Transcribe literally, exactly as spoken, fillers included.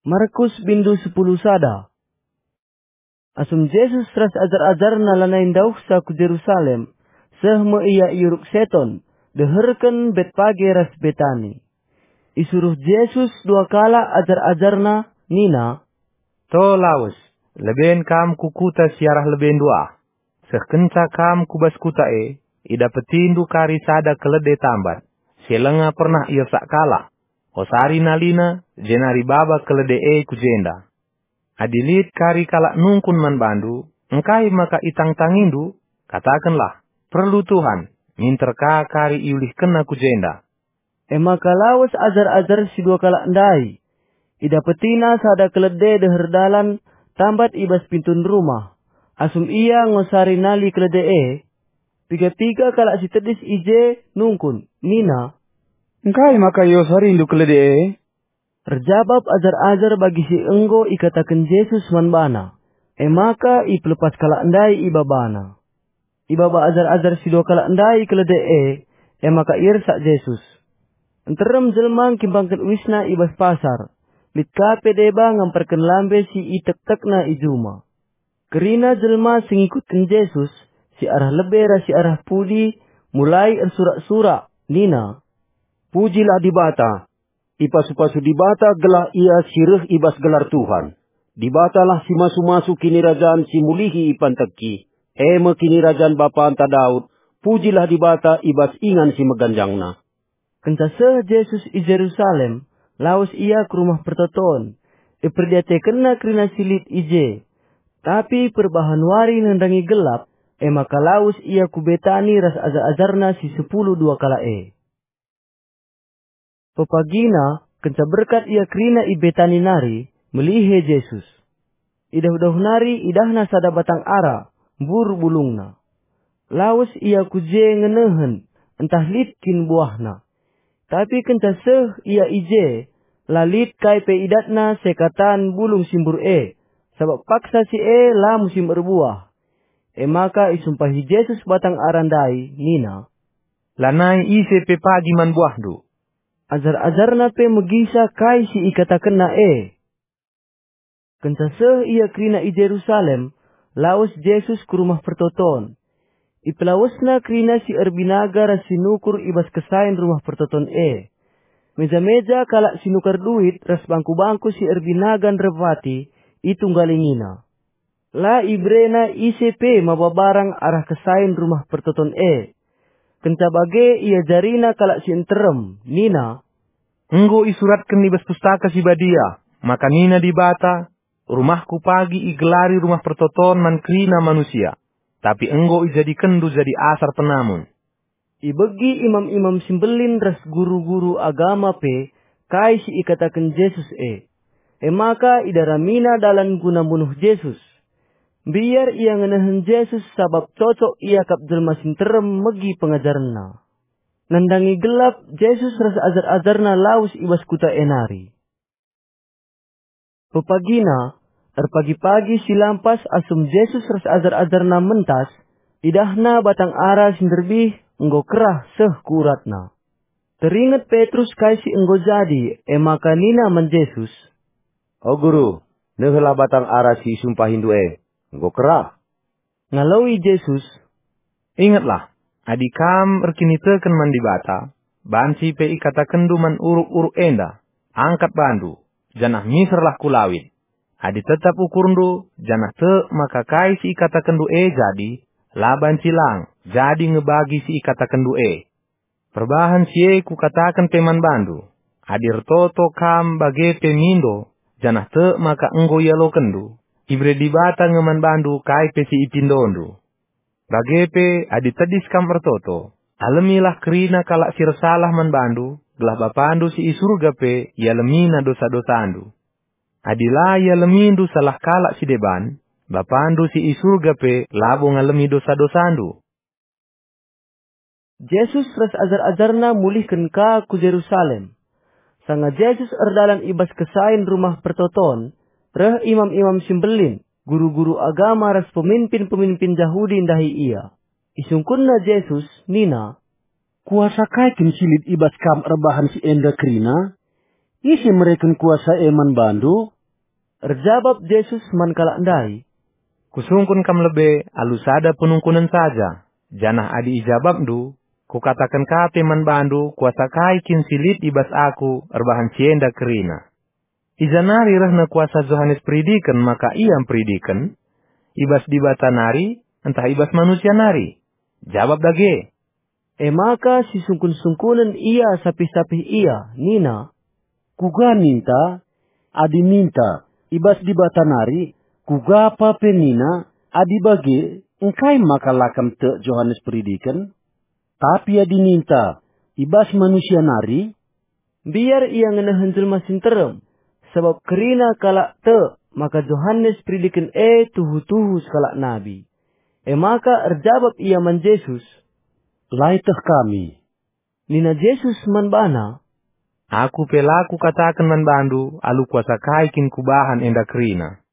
Markus bindu sepuluh sada. Asum Jesus ras ajar-ajarNa lanai ndauhsa ku Jerusalem, seh me Ia i Uruk Seton, deherken Betpage ras Betani. Isuruh Jesus dua kalak ajar-ajarNa nina, "To lawes, leben kam ku kuta si arah lebendu ah. Seh kenca kam ku bas kuta e, idapetindu kari sada kelede tambat, si langa pernah iersak kalak. Osari nalina, jenari baba kelede e ku jenda. Adi lit kari kalak nungkun man bandu, 'Engkai maka itangtangindu?' katakenlah, 'Perlu Tuhan, minter ka kari iulihkenna ku jenda.'" E maka lawes ajar-ajar si dua kalak ndai. Idapetina sada kelede deher dalan tambat i bas pintun rumah. Asum ia ngosari nali kelede e, piga-piga kalak si tedis i je nungkun, nina, "Engkai maka iosarindu kelede e?" Erjabap ajar-ajar bagi si enggo ikataken Jesus man bana, e maka ipelepas kalak ndai ibabana. Ibaba ajar-ajar si dua kalak ndai kelede e, e maka iersak Jesus. Nterem jelma ngkimbangken uisna i bas pasar, lit ka pe deba ngamparken lambe si itektekna i juma. Kerina jelma si ngikutken Jesus, si arah lebe ras si arah pudi, mulai ersurak-surak, nina, "Pujilah Dibata! Ipasu-pasu Dibata gelah Ia si reh i bas gelar Tuhan. Dibatalah si masu-masu kinirajan si mulihi ipanteki, e me kinirajan bapanta Daud. Pujilah Dibata i bas ingan si meganjangna." Kenca seh Jesus i Jerusalem, lawes Ia ku Rumah Pertoton. IperdiatekenNa kerina si lit i je. Tapi perbahan wari nandangi gelap, e maka lawes Ia ku Betani ras ajar-ajarNa si sepuluh dua kalak e. Pepagina, kenca berkat ia kerina i Betani nari, melihe Jesus. I dauh-dauh nari idahna sada batang ara, mbur bulungna. Lawes ia ku je ngenehen, ntah lit kin buahna. Tapi kenca seh ia i je, la lit kai pe idatna sekatan bulung si mbur e, sabap paksa si e la musim erbuah. E maka isumpahi Jesus batang ara ndai, nina, "Lanai ise pe pagi man buahndu." Ajar-ajarNa pe megisa kai si ikatakenNa e. Kenca seh ia kerina i Jerusalem, lawes Jesus ku Rumah Pertoton. IpelawesNa kerina si erbinaga ras si nukur i bas kesain Rumah Pertoton e. Meja-meja kalak si nukar duit ras bangku-bangku si erbinaga nderapati itunggalingina. La ibereNa ise pe maba barang arah kesain Rumah Pertoton e. Kenca bage iajariNa kalak si nterem, nina, "Enggo isuratken i bas Pustaka Si Badia, maka nina Dibata, 'RumahKu pagi igelari Rumah Pertoton man kerina manusia,' tapi enggo ijadikenndu jadi asar penamun." Ibegi imam-imam si mbelin ras guru-guru agama pe kai si ikataken Jesus e. E maka idaramina dalan guna munuh Jesus. Mbiar ia ngenehen Jesus sabap cocok iakap jelma si nterem megi pengajarenNa. Nandangi gelap, Jesus ras ajar-ajarNa lawes i bas kuta e nari. Pepagina, erpagi-pagi si lampas asum Jesus ras ajar-ajarNa mentas, idahNa batang ara si nderbih enggo kerah seh ku uratna. Teringet Petrus kai si enggo jadi, e maka nina man Jesus, "O Guru, nehelah batang ara si isumpahiNdu e, enggo kerah." Ngaloi Jesus, "Ingetlah, adi kam erkiniteken man Dibata, banci pe ikatakenndu man uruk-uruk enda, 'Angkat bandu, janah miserlah ku lawit.' Adi tetap ukurndu, janah tek maka kai si ikatakenndu e jadi, la banci lang, jadi nge bagi si ikatakenndu e. Perbahan si e kukataken pe man bandu, adi ertoto kam bage pe mindo, janah tek maka enggo ialokenndu, ibere Dibata nge man bandu kai pe si ipindondu. Bage pe, adi tedis kam ertoto, alemilah kerina kalak si ersalah man bandu, gelah Bapandu si i Surga pe ialemina dosa-dosandu. Adi la ialemindu salah kalak si deban, Bapandu si i Surga pe labo ngalemi dosa-dosandu." Jesus ras ajar-ajarNa mulihken ka ku Jerusalem. Sanga Jesus erdalan i bas kesain Rumah Pertoton, reh imam-imam si mbelin, guru-guru agama ras peminpin-peminpin Jahudi ndahi Ia. Isungkunna Jesus nina, "Kuasa kai kin si lit i bas Kam erbahan si enda kerina? Ise mereken kuasa e man bandu?" Erjabap Jesus man kalak ndai, "Kusungkun kam lebe alu sada penungkunen saja, janah adi ijabapndu, Kukataken ka pe man bandu kuasa kai kin si lit i bas Aku erbahan si enda kerina. I ja nari rehna kuasa Johanes Peridiken maka ia mperidiken? I bas Dibata nari, ntah i bas manusia nari? Jabap dage!" E maka sisungkun-sungkunen ia sapih-sapih ia, nina, "Kuga ninta? Adi ninta, 'I bas Dibata nari,' kuga pa pe nina, 'Adi bage, engkai maka la kam tek Johanes Peridiken?' Tapi adi ninta, 'I bas manusia nari,' mbiar ia ngenehen jelma si nterem, sabap kerina kalak tek maka Johanes Peridiken e tuhu-tuhu sekalak nabi." E maka erjabap ia man Jesus, "La ieteh kami." Nina Jesus man bana, "Aku pe la Kukataken man bandu alu kuasa kai kin Kubahan enda kerina.